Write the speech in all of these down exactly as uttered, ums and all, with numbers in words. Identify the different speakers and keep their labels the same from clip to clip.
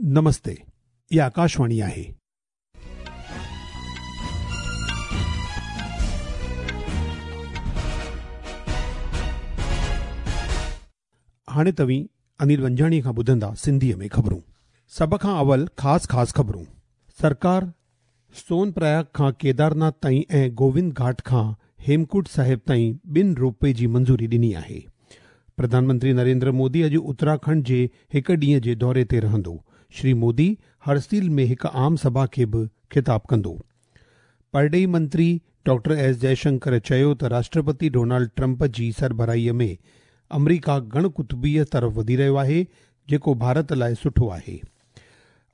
Speaker 1: नमस्ते, इहा आकाशवाणी आहे। हाणे तव्हीं अनिल वंजाणी खां ॿुधंदा सिंधीअ में ख़बरूं। सभ खां अवल ख़ासि ख़ासि ख़बरूं। सरकार सोन प्रयाग खां केदारनाथ ताईं ऐं गोविंद घाट खां हेमकुंड साहिब ताईं ॿिनि रोपवे जी मंज़ूरी ॾिनी आहे। प्रधानमंत्री नरेंद्र मोदी अॼु उत्तराखंड जे हिकु ॾींहं जे दौरे ते रहंदो। श्री मोदी हरसील में हिकु आम सभा खे बि ख़िताब कंदो। परॾेही मंत्री डॉक्टर एस जयशंकर चयो त राष्ट्रपति डोनाल्ड ट्रंप जी सरबराहीअ में अमरीका गण कुतुबीअ तरफ़ वधी रहियो आहे, जेको भारत लाइ सुठो आहे।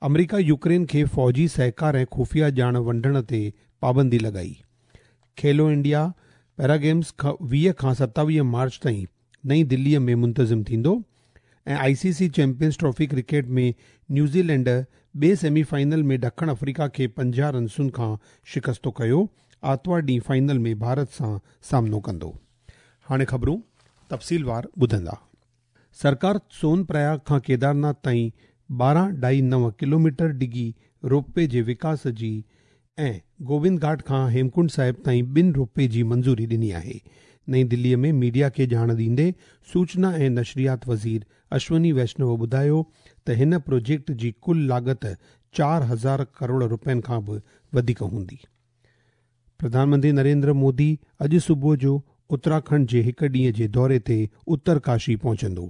Speaker 1: अमरीका यूक्रेन खे फ़ौजी सहकार ऐं ख़ुफ़िया ॼाण वंडण ते पाबंदी लॻाई। खेलो इंडिया पैरा गेम्स वीह खां सतावीह मार्च ताईं नई दिल्लीअ में मुंतज़िम थींदो। ऐं I C C champions trophy cricket में न्यूज़ीलैंड ॿिए सेमीफाइनल में ॾखण अफ्रीका खे पंजाह रनसुनि खां शिकस्तो कयो। आतिवार ॾींहुं फाइनल में भारत सां सामनो कंदो। हाणे ख़बरूं तफ़सीलवार ॿुधंदा। सरकार सोन प्रयाग खां केदारनाथ ताईं ॿारहं ढाई नव किलोमीटर डिघी रोपवे जे विकास जी ऐं गोविंद घाट खां हेमकुंड साहिब ताईं ॿिनि रोपवे जी मंज़ूरी ॾिनी आहे। नई दिल्लीअ में मीडिया खे ॼाण ॾींदे सूचना ऐं नशरियात वज़ीर अश्वनी वैष्णव ॿुधायो त हिन प्रोजेक्ट जी कुल लागत चारि हज़ार करोड़ रुपयनि खां बि वधीक हूंदी। प्रधानमंत्री नरेंद्र मोदी अॼु सुबुह जो उत्तराखंड जे हिकु ॾींहं जे दौरे ते उत्तरकाशी पहुचंदो।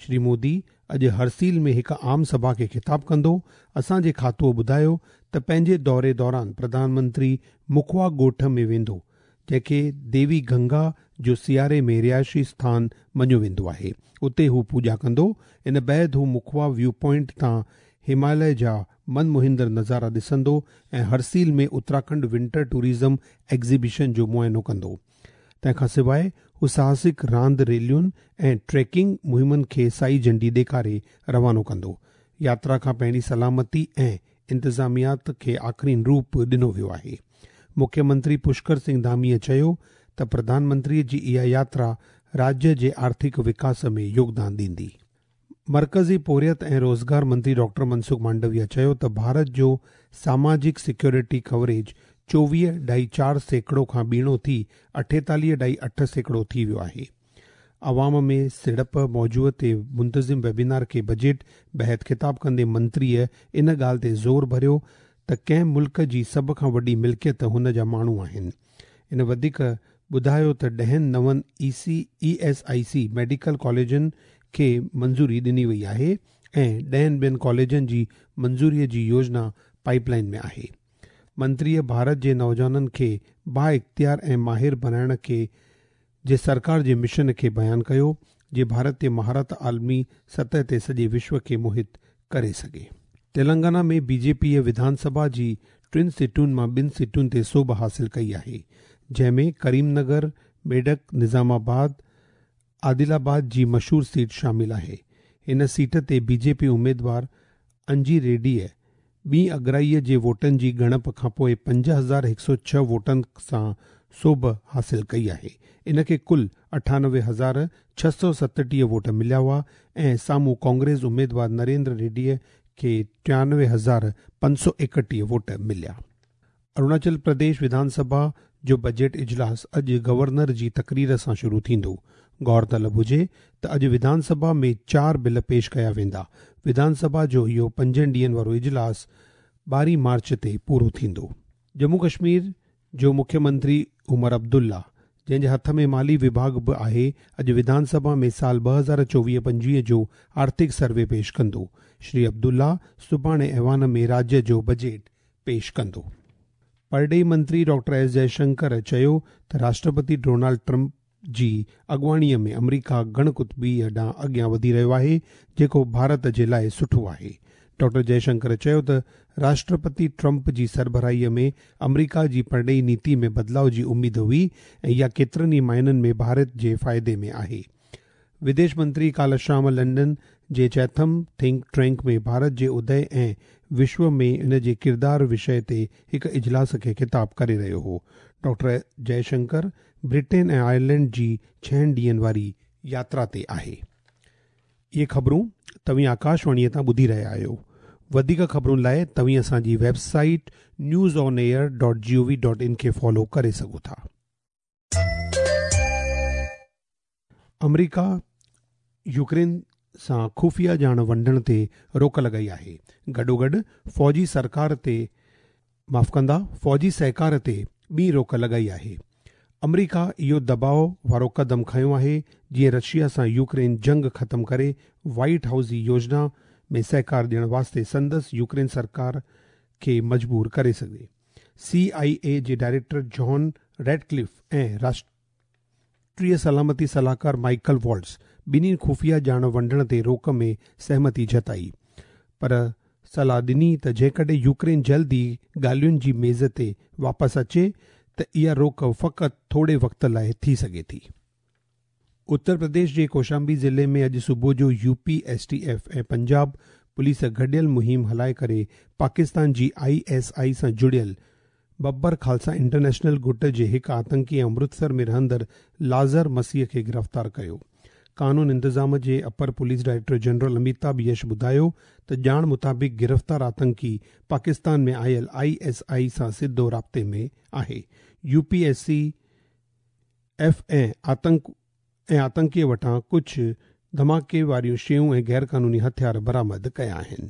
Speaker 1: श्री मोदी अॼु हरसील में हिकु आम सभा खे ख़िताब कंदो। असांजे खातो ॿुधायो त पंहिंजे दौरे दौरान प्रधानमंत्री मुखवा ॻोठ में वेंदो, जंहिंखे देवी गंगा जो सियारे में रिहाइशी स्थान मञियो वेंदो आहे। उते हू पूॼा कंदो। इन बाद हू मुखवा व्यू पॉइंट तां हिमालय जा मनमोहिंदड़ नज़ारा ॾिसंदो ऐं हरसील में उत्तराखंड विंटर टूरिज़म एग्ज़िबिशन जो मुआइनो कंदो। तंहिंखां सवाइ हू साहसिक रांदि रैलियुनि ऐं ट्रैकिंग मुहिमनि खे साई झंडी ॾेखारे रवानो कंदो। यात्रा खां पहिरीं सलामती ऐं इंतिज़ामियात खे आख़िरीन रूप ॾिनो वियो आहे। मुख्यमंत्री पुष्कर सिंह धामीअ चयो त प्रधानमंत्रीअ जी इहा यात्रा राज्य जे आर्थिक विकास में योगदान ॾींदी। मर्कज़ी पोरियत ऐं रोज़गार मंत्री डॉक्टर मनसुख मांडविया चयो त भारत जो सामाजिक सिक्योरिटी कवरेज चोवीह ढाई चारि सैकड़ो खां ॿीणो थी अठेतालीह ढाई अठ सैकड़ो थी वियो आहे। अवाम में सिड़प मौजूअ ते मुंतज़िम वेबिनार खे बजट बहत ख़िताब कंदे मंत्रीअ इन ॻाल्हि ते ज़ोर भरियो त कंहिं मुल्क जी सभ खां वॾी मिल्कियत हुन जा माण्हू आहिनि। इन वधीक ॿुधायो त ॾहनि नवनि E C E S I C medical कॉलेजनि खे मंज़ूरी ॾिनी वई आहे ऐं ॾहनि ॿियनि कॉलेजनि जी मंज़ूरीअ जी योजना पाइपलाइन में आहे। मंत्रीअ भारत जे नौजवाननि खे बाइख़्तियार ऐं माहिर बणाइण खे जे सरकार जे मिशन खे बयानु कयो, जे भारत ते महारत आलमी सतह ते सॼे विश्व खे मोहित करे सघे। तेलंगाना में बीजेपीअ विधानसभा जी टिनि सीटुनि मां ॿिनि सीटुनि ते सोभ हासिल कई आहे, जंहिंमें करीमनगर, मेडक, निज़ामाबाद, आदिलाबाद जी मशहूर सीट शामिल आहे। हिन सीट ते बीजेपी उमेदवार अंजी रेड्डीअ ॿी अगराईअ जे वोटनि जी ॻणप खां पोइ पंज हज़ार हिकु सौ छह वोटनि सां सोभ हासिल कई आहे। इन खे कुल अठानवे हज़ार छह सौ सतटीह वोट मिलिया हुआ ऐं साम्हूं कांग्रेस उमेदवार नरेंद्र रेड्डीअ खे टियानवे हज़ार पंज सौ एकटीह वोट मिलिया। अरुणाचल प्रदेश विधानसभा जो बजट इजलास अॼु गवर्नर जी तकरीर सां शुरू थींदो। गौर तलब हुजे त अॼु विधानसभा में चारि बिल पेश कया वेंदा। विधानसभा जो इहो पंजनि ॾींहनि वारो इजलास ॿारहीं मार्च ते पूरो थींदो। जम्मू कश्मीर जो मुख्यमंत्री उमर अब्दुल्ला, जंहिंजे हथ में माली विभाग बि आहे, अॼु विधानसभा में साल ॿ हज़ार चोवीह पंजवीह जो आर्थिक सर्वे पेश कंदो। श्री अब्दुल्ला सुभाणे ऐवान में राज्य जो बजट पेश कंदो। परॾेही मंत्री डॉक्टर एस जयशंकर चयो त राष्ट्रपति डोनाल्ड ट्रंप जी अॻुवाणीअ में अमरीका गण कुतुबीअ ॾांहुं अॻियां वधी रहियो आहे, जेको भारत जे लाइ सुठो आहे। डॉक्टर जयशंकर चयो त राष्ट्रपति ट्रंप जी सरबराहीअ में अमरीका जी परॾेही नीति में बदिलाव जी उमेद हुई ऐं इहा केतिरनि ई माइननि में भारत जे फ़ाइदे में आहे। विदेश मंत्री काल्ह शाम लंडन जे चैथम थिंक टैंक में भारत जे उदय ऐं विश्व में इन जे किरदार विषय ते हिकु इजलास खे ख़िताब करे रहियो हो। डॉक्टर जयशंकर ब्रिटेन ऐं आयरलैंड जी छहनि ॾींहनि वारी यात्रा ते आहे। इहे ख़बरूं तव्हीं आकाशवाणीअ तां ॿुधी रहिया आहियो। वधीक ख़बरुनि लाइ तव्हीं असांजी website news on air dot G O V dot in खे फॉलो करे सघो था। अमेरिका यूक्रेन सां ख़ुफ़िया ॼाण वंडण ते रोक लॻाई आहे। गॾोगॾु फ़ौजी सरकार ते माफ़ कंदा फ़ौजी सहकार ते ॿी रोक लॻाई आहे। अमेरिका इहो दबाव वारो कदम खयो आहे जीअं रशिया सां यूक्रेन जंग ख़त्म करे वाइट हाउस जी योजना में सहकार ॾियण वास्ते संदसि यूक्रेन सरकार खे मजबूर करे सघे। सी आई ए जे डायरेक्टर जॉन रेडक्लिफ ऐं राष्ट्रीय सलामती सलाहकार माइकल वॉल्ट्स ॿिन्ही ख़ुफ़िया ॼाण वंडण ते रोक में सहमति जताई, पर सलाह ॾिनी त जेकॾहिं यूक्रेन जल्दी ॻाल्हियुनि जी मेज़ ते वापसि अचे त इहा रोक फ़क़ति थोरे वक़्त लाइ थी सघे थी। उत्तर प्रदेश जे कौशाम्बी ज़िले में अॼु सुबुह जो U P S T F ऐं पंजाब पुलिस गॾियल मुहिम हलाए करे पाकिस्तान जी I S I सां जुड़ियल बब्बर खालसा इंटरनेशनल गुट जे हिकु आतंकी ऐं अमृतसर में रहंदड़ लाज़र मसीह खे गिरफ़्तार कयो। कानून इंतज़ाम जे upper police director general Amitabh Yash ॿुधायो त ॼाण मुताबिक़ गिरफ़्तार आतंकी पाकिस्तान में आयल I S I सां सिधो राब्ते में आहे। U P S C F ऐं आतंक ऐं आतंकीअ वटां कुझु धमाके वारियूं शयूं ऐं गैर कानूनी हथियार बरामद कया आहिनि।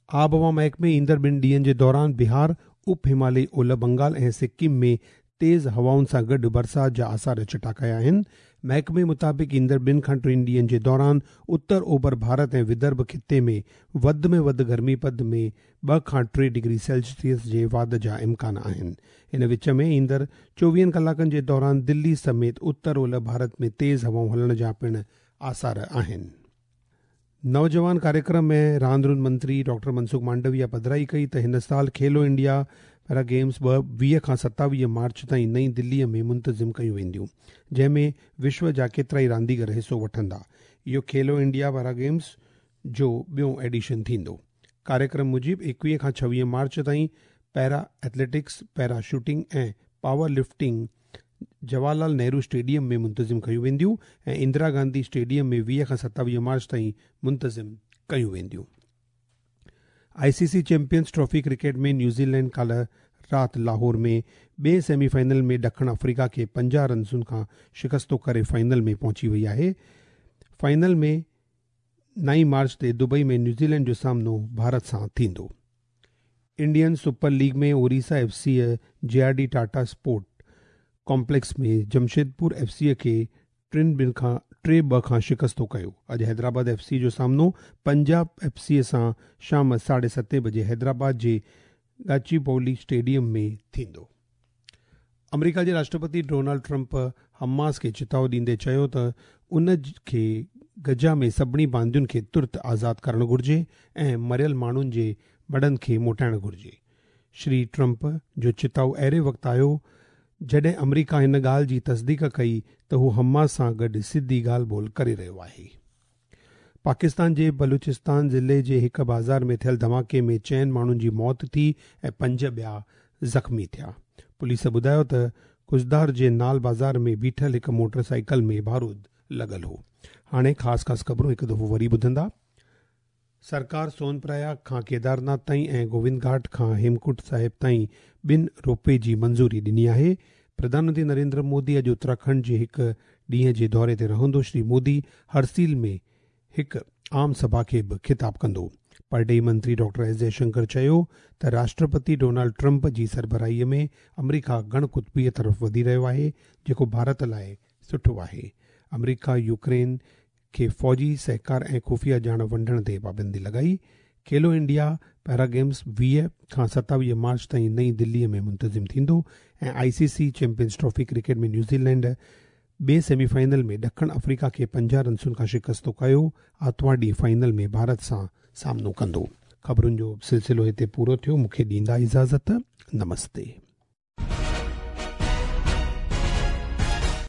Speaker 1: आबहवा महकमे ईंदड़ ॿिनि ॾींहनि जे दौरान बिहार, उप हिमालयी ओलह बंगाल ऐं सिक्किम में तेज़ हवाउनि सां गॾु बरसाति जा आसार चिटा कया आहिनि। महकमे मुताबिक़ ईंदड़ ॿिनि खां टिनि ॾींहनि जे दौरान उत्तर ओभर भारत ऐं विदर्भ ख़िते में वधि में वधि गर्मी पद में ॿ खां टे डिग्री सेल्सियस जे वाध जा इम्कान आहिनि। इन विच में ईंदड़ चोवीहनि कलाकनि जे दौरान दिल्ली समेत उत्तर ओलह भारत में तेज़ हवाऊं हलण जा पिणु आसार आहिनि। नौजवान कार्यक्रम में रांदि मंत्री डॉक्टर मनसुख मांडविया पधराई कई त हिन साल खेलो इंडिया पैरा गेम्स ॿ वीह खां सतावीह मार्च ताईं नई दिल्लीअ में मुंतज़िम कयूं वेंदियूं, जंहिंमें विश्व जा केतिरा ई रांदीगर हिसो वठंदा। इहो खेलो इंडिया पैरा गेम्स जो ॿियो एडिशन थींदो। कार्यक्रम मूजिबि एकवीह खां छवीह मार्च ताईं पैरा एथलेटिक्स, पैरा शूटिंग ऐं power lifting Jawaharlal Nehru stadium में मुंतज़िम कयूं वेंदियूं ऐं इंदिरा गांधी स्टेडियम में वीह खां सतावीह मार्च ताईं मुंतज़िम कयूं वेंदियूं। I C C champions trophy cricket में न्यूज़ीलैंड काल्ह राति लाहौर में ॿिए सेमीफाइनल में ॾखिण अफ्रीका खे पंजाह रनसुनि खां शिकस्तो करे फाइनल में पहुची वई आहे। फाइनल में नाई मार्च ते दुबई में न्यूज़ीलैंड जो सामनो भारत सां थींदो। इंडियन सुपर लीग में Orissa F C J R D Tata sport complex में जमशेदपुर एफ सी खे टिनि ॿिनि खां टे ॿ खां शिकस्तो कयो। अॼु हैदराबाद एफ सी जो सामनो पंजाब एफ सी सां शाम साढे सते बजे हैदराबाद जे गाचीबौली स्टेडियम में थींदो। अमेरिका जे राष्ट्रपति डोनाल्ड ट्रंप हमास खे चिताव ॾींदे चयो त उन खे गजा में सभिनी बांदियुनि खे तुर्त आज़ाद करणु घुरिजे ऐं मरियल माण्हुनि जे मड़नि खे मोटाइणु घुरिजे। श्री ट्रंप जो चिताव अहिड़े वक़्तु आयो जॾहिं अमेरिका हिन ॻाल्हि जी तस्दीक कई त हू हमास सां गॾु सिधी ॻाल्हि ॿोल करे रहियो आहे। पाकिस्तान जे बलूचिस्तान ज़िले जे हिकु बाज़ार में थियल धमाके में चइनि माण्हुनि जी मौत थी ऐं पंज ॿिया ज़ख़्मी थिया। पुलिस ॿुधायो त कुजदार जे नाल बाज़ार में बीठल हिकु मोटरसाइकिल में बारूद लॻल हो। हाणे ख़ासि ख़ासि ख़बरूं हिकु दफ़ो वरी ॿुधंदा। सरकार सोनप्रयाग खां केदारनाथ ताईं ऐं गोविंद घाट खां हेमकुंड साहिब ताईं ॿिनि रोपवे जी मंज़ूरी ॾिनी आहे। प्रधानमंत्री नरेंद्र मोदी अॼु उत्तराखंड जे हिकु ॾींहं जे दौरे ते रहंदो। श्री मोदी हरसील में हिकु आम सभा खे बि ख़िताब कंदो। परॾेही मंत्री डॉक्टर एस जयशंकर चयो त राष्ट्रपति डोनाल्ड ट्रंप जी सरबराहीअ में अमेरिका गण कुतबीअ तरफ़ वधी रहियो आहे, जेको भारत लाइ सुठो आहे। अमेरिका यूक्रेन खे फ़ौजी सहकार ऐं ख़ुफ़िया ॼाण वंडण ते पाबंदी लॻाई। खेलो इंडिया पैरा गेम्स वीह खां सतावीह मार्च ताईं नई दिल्लीअ में मुंतज़िम थींदो ऐं I C C champions trophy cricket में न्यूज़ीलैंड ॿिए सेमीफाइनल में ॾखिण अफ्रीका खे पंजाह रनसुनि खां शिकस्तो कयो। आतिवार ॾींहुं फाइनल में भारत सां सामनो कंदो। ख़बरुनि जो सिलसिलो हिते पूरो थियो। मूंखे ॾींदा इजाज़त। नमस्ते।